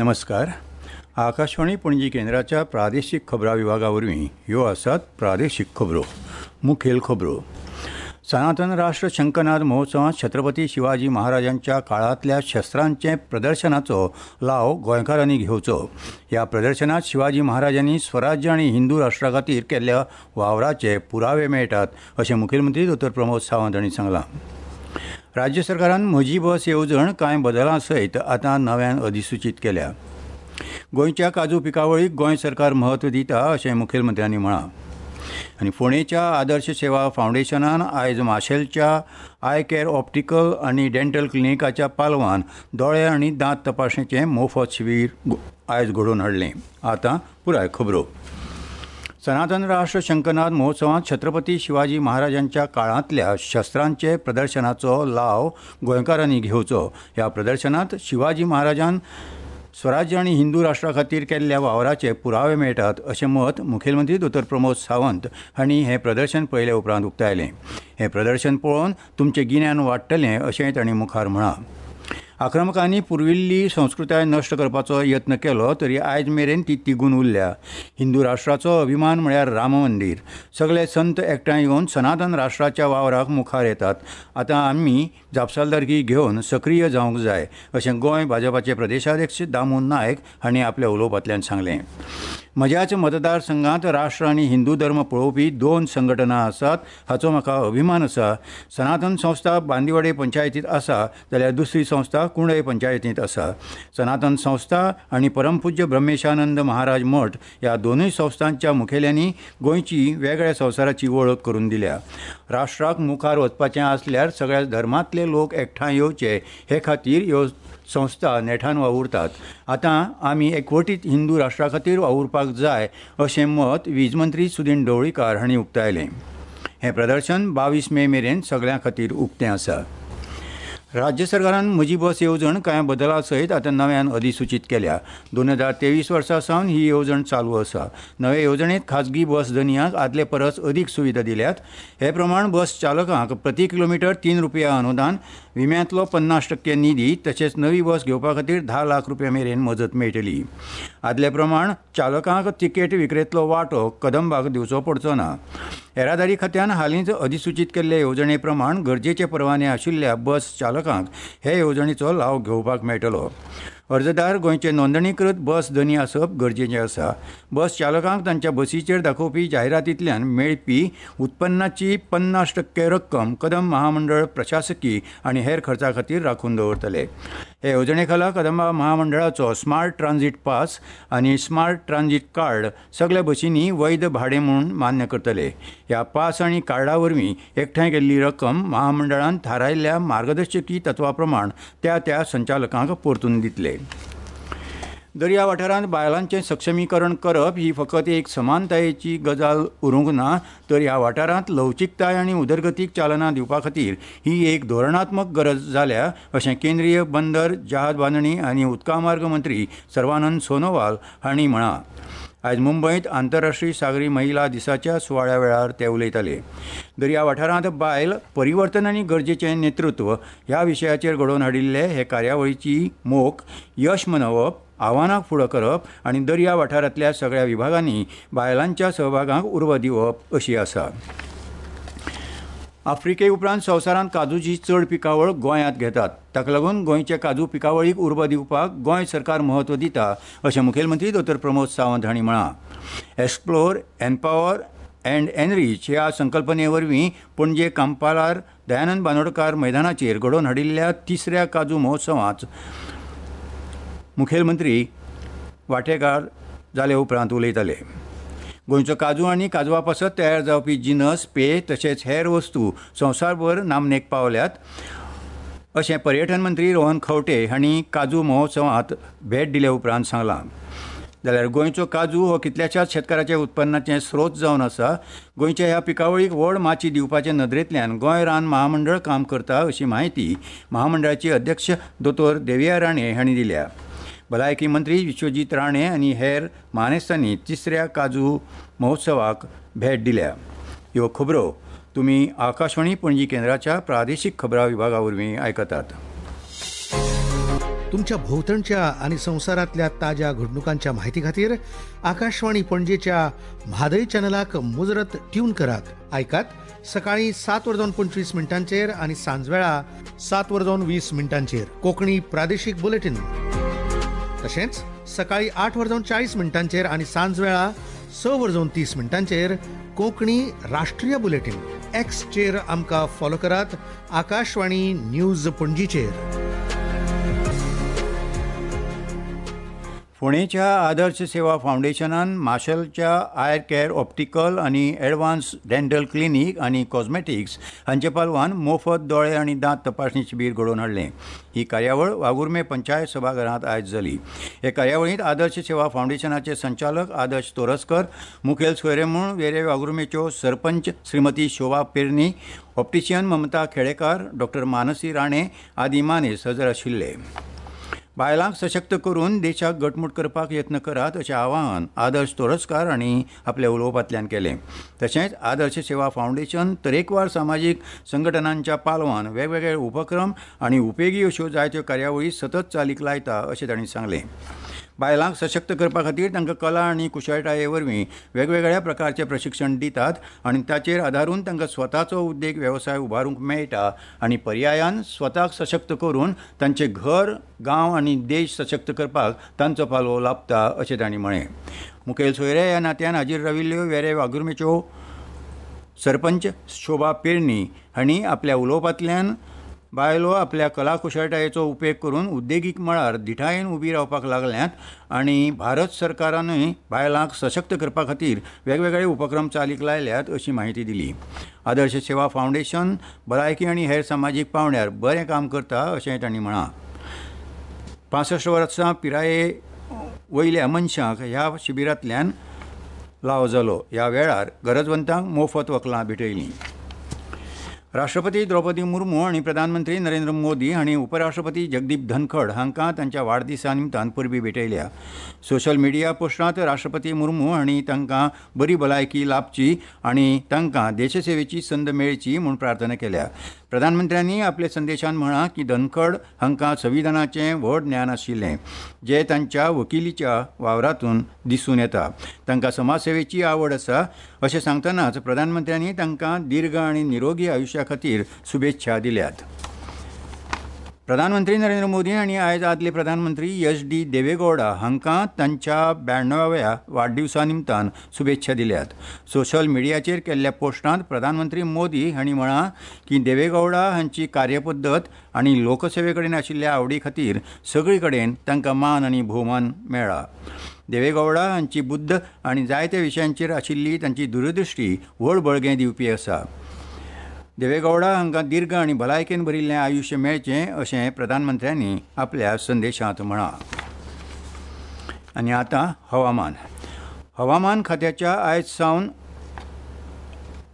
नमस्कार. आकाशवाणी पणजी केंद्राच्या प्रादेशीक खबरां विभागा वरवीं ह्यो आसात प्रादेशीक खबरो. मुखेल खबरो. सनातन राष्ट्र शंखनाद महोत्सवांत छत्रपती शिवाजी महाराजांच्या काळांतल्या शस्त्रांचे प्रदर्शनाचो लाव गोंयकारांनी घेवचो. ह्या प्रदर्शनांत शिवाजी महाराजांनी स्वराज्य आनी हिंदू राष्ट्रा खातीर केल्ल्या वावराचे पुरावे मेळटात अशें मुखेलमंत्री दोतोर प्रमोद सावंत हांणी सांगलां. राज्य सरकारान म्हजी बस येवजण कांय बदलां सयत आतां नव्यान अधिसुचीत केल्या. गोंयच्या काजू पिकावळीक गोंय सरकार म्हत्व दिता अशें मुखेलमंत्र्यांनी म्हळां. आनी फोंडेच्या आदर्श सेवा फावंडेशनान आयज माशेलच्या I care optical आनी डेंटल क्लिनिकाच्या पालवान दोळे आनी दांत तपासणेचें मोफत शिबीर आयज घडोवन हाडलें. आतां पुराय खबरो. सनातन राष्ट्र शंखनाद महोत्सवांत छत्रपती शिवाजी महाराजांच्या काळांतल्या शस्त्रांचे प्रदर्शनाचो लाव गोंयकारांनी घेवचो. ह्या प्रदर्शनांत शिवाजी महाराजान स्वराज्य आनी हिंदू राष्ट्रा खातीर केल्ल्या वावराचे पुरावे मेळटात अशें मत मुखेलमंत्री दोतोर प्रमोद सावंत हांणी हें प्रदर्शन पळयले उपरांत उक्तायलें. हें प्रदर्शन पळोवन तुमचें गिन्यान वाडटलें अशेंय तांणी मुखार म्हळां. आक्रमकांनी पुर्विल्ली संस्कृताय नश्ट करपाचो यत्न केलो तरी आयज मेरेन ती तिगून उरल्या. हिंदू राष्ट्राचो अभिमान म्हळ्यार राम मंदीर. सगळे संत एकठांय येवन सनातन राष्ट्राच्या वावराक मुखार येतात. आतां आमी जापसालदारकी घेवन सक्रीय जावंक जाय अशें गोंय भाजपाचे प्रदेशाध्यक्ष दामू नायक हांणी आपल्या उलोवपांतल्यान सांगलें. म्हज्याच मतदारसंघांत राष्ट्र आनी हिंदू धर्म पळोवपी दोन संघटना आसात हाचो म्हाका अभिमान आसा. सनातन संस्था बांदिवाडे पंचायतींत आसा जाल्यार दुसरी संस्था कुंडय पंचायतींत आसा. सनातन संस्था आनी परमपूज्य ब्रह्मेशानंद महाराज मठ ह्या दोनूय संस्थांच्या मुखेल्यांनी गोंयची वेगळ्या संवसाराची वळख करून दिल्या. राष्ट्राक मुखार वचपाचें आसल्यार सगळ्या धर्मांतले लोक एकठांय येवचे हे खातीर ह्यो संस्था नेटान वावुरतात. आतां आमी एकवटीत हिंदू राष्ट्रा खातीर वावुरपाक जाय अशें मत वीज मंत्री सुदिन ढवळीकार हांणी उक्तायलें. हें प्रदर्शन 22 मे मेरेन सगळ्यां खातीर उक्तें आसा. राज्य सरकारान म्हजी बस येवजण कांय बदलां सयत आतां नव्यान अधिसुचीत केल्या. 2023 वर्सा सावन ही येवजण चालू आसा. नवे येवजणेंत खाजगी बस धनयांक आदले परस अदीक सुविधा दिल्यात. हे प्रमाण बस चालकांक प्रति किलोमिटर 3 रुपया अनुदान, विम्यांतलो 50% निधी तशेंच नवी बस घेवपा खातीर 10 लाख रुपया मेरेन मजत मेळटली. आदले प्रमाण चालकांक तिकेट विक्रेंतलो वांटो कदंबाक दिवचो पडचो ना. येरादारी खात्यान हालींच अधिसुचीत केल्ले येवजणे प्रमाण गरजेचे परवाने आशिल्ल्या बस चालकांक हे येवजणेचो लाव घेवपाक मेळटलो. अर्जदार गोंयचे नोंदणीकृत बस धनी आसप गरजेचें आसा. बस चालकांक तांच्या बसीचेर दाखोवपी जायरातींतल्यान मेळपी उत्पन्नाची 50% रक्कम कदंब महामंडळ प्रशासकी आनी हेर खर्चा खातीर राखून दवरतले. हे येवजणे खाला कदंबा महामंडळाचो स्मार्ट ट्रान्झीट पास आनी स्मार्ट ट्रान्झीट कार्ड सगल्या बसींनी वैध भाडें म्हूण मान्य करतले. ह्या पास आनी कार्डा वरवीं एकठांय केल्ली रक्कम महामंडळान थारायल्ल्या मार्गदर्शकी तत्वा प्रमाण त्या त्या संचालकांक परतून दितले. दर्या वाठारांत बायलांचें सक्षमीकरण करप ही फकत एक समानतायेची गजाल उरूंक ना, तर ह्या वाठारांत लवचिकताय आनी उदरगतीक चालना दिवपा खातीर ही एक धोरणात्मक गरज जाल्या अशें केंद्रीय बंदर, जहाज बांदणी आनी उदकामार्ग मंत्री सर्वानंद सोनोवाल हांणी म्हळां. आयज मुंबयंत आंतरराष्ट्रीय सागरी महिला दिसाच्या सुवाळ्या वेळार ते उलयताले. दर्या वाठारांत बायल परिवर्तन आनी गरजेचें नेतृत्व ह्या विशयाचेर घडोवन हाडिल्ले हे कार्यावळीची मोख यश मनोवप, आव्हानांक फुडो करप आनी दर्या वाठारांतल्या सगळ्या विभागांनी बायलांच्या सहभागाक उर्बा दिवप अशी आसा. आफ्रिके उपरांत संवसारांत काजूची चड पिकावळ गोंयांत घेतात. ताका लागून गोंयचे काजू पिकावळीक उर्बा दिवपाक गोंय सरकार म्हत्व दिता अशें मुखेलमंत्री दोतोर प्रमोद सावंत हांणी म्हळां. एक्सप्लोर, एम्पावर अँड एनरीच ह्या संकल्पने वरवीं पणजे कांपालार दयानंद बांदोडकार मैदानाचेर घडोवन हाडिल्ल्या तिसऱ्या काजू महोत्सवांत मुखेलमंत्री वांटेकार जाले उपरांत उलयताले. गोंयचो काजू आनी काजवा पासत तयार जावपी जिनस, पेय तशेंच हेर वस्तू संवसारभर नामनेक पावल्यात अशें पर्यटन मंत्री रोहन खंवटे हांणी काजू महोत्सवांत भेट दिले उपरांत सांगलां. जाल्यार गोंयचो काजू हो कितल्याशाच शेतकाराच्या उत्पन्नाचें स्रोत जावन आसा. गोंयच्या ह्या पिकावळीक व्हड माची दिवपाचे नदरेंतल्यान गोंय रान महामंडळ काम करता अशी म्हायती महामंडळाची अध्यक्ष दोतोर देविया राणे हांणी दिल्या. भलायकी मंत्री विश्वजीत राणे आनी हेर मानेस्तांनी तिसऱ्या काजू महोत्सवाक भेट दिल्या. ह्यो खबरो तुमी आकाशवाणी पणजी केंद्राच्या प्रादेशीक खबरां विभागा वरवीं आयकतात. तुमच्या भोवतणच्या आनी संवसारांतल्या ताज्या घडणुकांच्या माहिती खातीर आकाशवाणी पणजेच्या म्हादय चॅनलाक मुजरत ट्यून करात. आयकात सकाळी 7:25 आनी सांजवेळा 7:20 कोंकणी प्रादेशीक बुलेटीन. तशेंच सकाळी 8:40 आनी सांजवेळा 6:30 कोंकणी राष्ट्रीय बुलेटीन. एक्सचेर आमकां फॉलो करात आकाशवाणी न्यूज पणजीचेर. फोंडेच्या आदर्श सेवा फावंडेशनान माशेलच्या I care optical आनी एडवान्स डेंटल क्लिनीक आनी कॉस्मेटिक्स हांचे पालवान मोफत दोळे आनी दांत तपासणी शिबीर घडोवन हाडलें. ही कार्यावळ वाघुर्मे पंचायत सभाघरांत आयज जाली. हे कार्यावळींत आदर्श सेवा फावंडेशनाचे संचालक आदर्श तोरस्कर, मुखेल सोयरे म्हूण वेरे वाघुर्मेच्यो सरपंच श्रीमती शोभा पेरणी, ऑप्टिशियन ममता खेडेकार, डॉक्टर मानसी राणे आदी मानेस्त हजर आशिल्ले. बायलांक सशक्त करून देशाक घटमूट करपाक यत्न करात अशें आवाहन आदर्श तोरस्कार हांणी आपल्या उलोवपांतल्यान केलें. तशेंच आदर्श सेवा फावंडेशन तरेकवार सामाजीक संघटनांच्या पालवान वेगवेगळे उपक्रम आनी उपेगी अश्यो जायत्यो कार्यावळी सतत चालीक लायता अशें तांणी सांगलें. बायलांक सशक्त करपा खातीर तांकां कला आनी कुशळटाये वरवीं वेगवेगळ्या प्रकारचें प्रशिक्षण दितात आनी ताचेर आदारून तांकां स्वताचो उद्देग वेवसाय उबारूंक मेळटा आनी पर्यायान स्वताक सशक्त करून तांचें घर, गांव आनी देश सशक्त करपाक तांचो पालव लाभता अशें तांणी म्हळें. मुखेल सोयरे ह्या नात्यान हाजीर राविल्ल्यो वेरे वाघुर्मेच्यो सरपंच शोभा पेरणी हांणी आपल्या उलोवपांतल्यान बायलो आपल्या कला कुशळटायेचो उपेग करून उद्देगीक मळार धिटायेन उबी रावपाक लागल्यात आनी भारत सरकारानूय बायलांक सशक्त करपा खातीर वेगवेगळे उपक्रम चालीक लायल्यात अशी म्हायती दिली. आदर्श सेवा फावंडेशन भलायकी आनी हेर सामाजीक पांवड्यार बरें काम करता अशें तांणी म्हळां. 65 वर्सां पिराये वयल्या मनशांक ह्या शिबिरांतल्यान लाव जालो. ह्या वेळार गरजवंतांक मोफत वखलां भेटयलीं. राष्ट्रपती द्रौपदी मुर्मू आनी प्रधानमंत्री नरेंद्र मोदी हांणी उपराष्ट्रपती जगदीप धनखड हांकां तांच्या वाडदिसा निमतान परबीं भेटयल्या. सोशल मिडिया पोस्टांत राष्ट्रपती मुर्मू हांणी तांकां बरी भलायकी लाभची आनी तांकां देशसेवेची संद मेळची म्हूण प्रार्थना केल्या. प्रधानमंत्र्यांनी आपल्या संदेशान म्हळां की धनखड हांकां संविधानाचें व्हड ज्ञान आशिल्लें जें तांच्या वकिलीच्या वावरांतून दिसून येता. तांकां समाजसेवेची आवड आसा अशें सांगतनाच प्रधानमंत्र्यांनी तांकां दीर्घ आनी निरोगी आयुश्या खातीर शुभेच्छा दिल्यात. प्रधानमंत्री नरेंद्र मोदी हांणी आयज आदले प्रधानमंत्री एच.डी. देवेगौडा हांकां तांच्या 92व्या वाडदिवसा निमतान शुभेच्छा दिल्यात. सोशल मिडियाचेर केल्ल्या पोस्टांत प्रधानमंत्री मोदी हांणी म्हळां की देवेगौडा हांची कार्यपद्दत आनी लोकसेवे कडेन आशिल्ल्या आवडी खातीर सगळे कडेन तांकां मान आनी भोवमान मेळ्ळा. देवेगौडा हांची बुद्द आनी जायत्या विशयांचेर आशिल्ली तांची दूरदृश्टी व्हड बळगें दिवपी आसा. देवेगौडा हांकां दीर्घ आनी भलायकेन भरिल्लें आयुश्य मेळचें अशें प्रधानमंत्र्यांनी आपल्या संदेशांत म्हळां. आनी आतां हवामान. हवामान खात्याच्या आयज सावन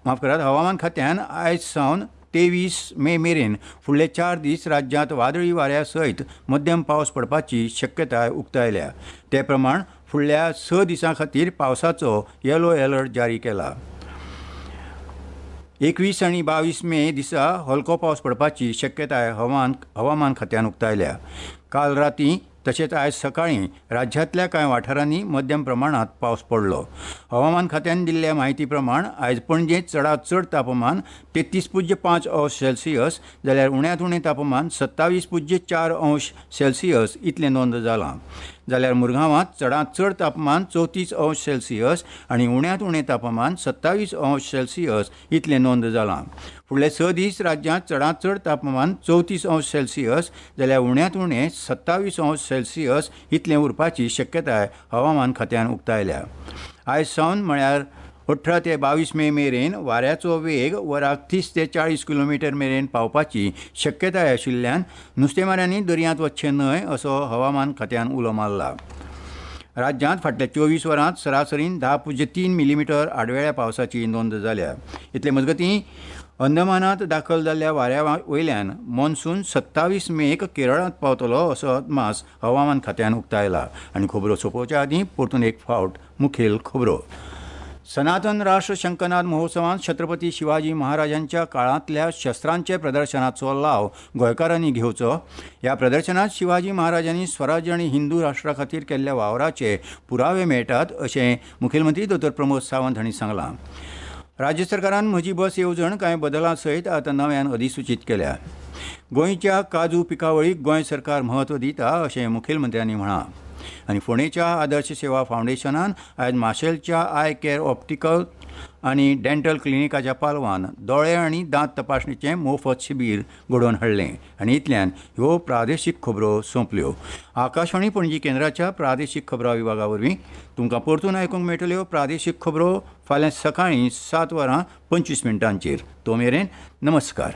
हवामान खात्यान आयज सावन 23 मे मेरेन फुडले 4 दीस राज्यांत वादळी वाऱ्या सयत मध्यम पावस पडपाची शक्यताय उक्तायल्या. ते प्रमाण फुडल्या 6 दिसां खातीर पावसाचो येलो अलर्ट जारी केला. 21 आनी 22 मे दिसा हलको पावस पडपाची शक्यताय हवामान खात्यान उक्तायल्या. काल राती तशेंच आयज सकाळीं राज्यांतल्या कांय वाठारांनी मध्यम प्रमाणांत पावस पडलो. हवामान खात्यान दिल्ल्या म्हायती प्रमाण आयज पणजेंत चडांत चड तापमान 33.5 अंश सेल्सियस जाल्यार उण्यांत उणें तापमान 27.4 अंश सेल्सियस इतलें नोंद जालां. जाल्यार मुरगांवांत चडांत चड तापमान 34 अंश सेल्सियस आनी उण्यांत उणें तापमान 27 अंश सेल्सियस इतलें नोंद जालां. फुडले 6 दीस राज्यांत चडांत चड तापमान 34 अंश सेल्सियस जाल्यार उण्यांत उणें 27 अंश सेल्सियस इतलें उरपाची शक्यताय हवामान खात्यान उक्तायल्या. आयज सावन म्हळ्यार 18 ते 22 मे मेरेन वाऱ्याचो वेग वराक 30 ते 40 किलोमिटर मेरेन पावपाची शक्यताय आशिल्ल्यान नुस्तेमाऱ्यांनी दर्यांत वचचें न्हय असो हवामान खात्यान उलो मारला. राज्यांत फाटल्या 24 वरांत सरासरीन 10.3 मिलीमिटर आडवेळ्या पावसाची नोंद जाल्या. इतले मजगतीं अंदमानात दाखल जाल्ल्या वाऱ्या वयल्यान मॉन्सून 27 मेक केरळांत पावतलो असो अदमास हवामान खात्यान उक्तायला. आनी खबरो सोंपोवच्या आदीं परतून एक फावट मुखेल खबरो. सनातन राष्ट्र शंखनाद महोत्सवांत छत्रपती शिवाजी महाराजांच्या काळांतल्या शस्त्रांचे प्रदर्शनाचो लाव गोंयकारांनी घेवचो. ह्या प्रदर्शनात शिवाजी महाराजांनी स्वराज्य आनी हिंदू राष्ट्रा खातीर केल्ल्या वावराचे पुरावे मेळटात अशें मुखेलमंत्री दोतोर प्रमोद सावंत हांणी सांगलां. राज्य सरकारान म्हजी बस येवजण कांय बदलां सयत आतां नव्यान अधिसुचीत केल्या. गोंयच्या काजू पिकावळीक गोंय सरकार म्हत्व दिता अशें मुखेलमंत्र्यांनी म्हळां. आनी फोंडेच्या आदर्श सेवा फावंडेशनान आयज माशेलच्या I care optical आनी डेंटल क्लिनिकाच्या पालवान दोळे आनी दांत तपासणीचें मोफत शिबीर घडोवन हाडलें. आनी इतल्यान ह्यो प्रादेशीक खबरो सोंपल्यो. आकाशवाणी पणजी केंद्राच्या प्रादेशीक खबरां विभागा वरवीं तुमकां परतून आयकूंक मेळटल्यो प्रादेशीक खबरो फाल्यां सकाळीं 7:25. तो मेरेन नमस्कार.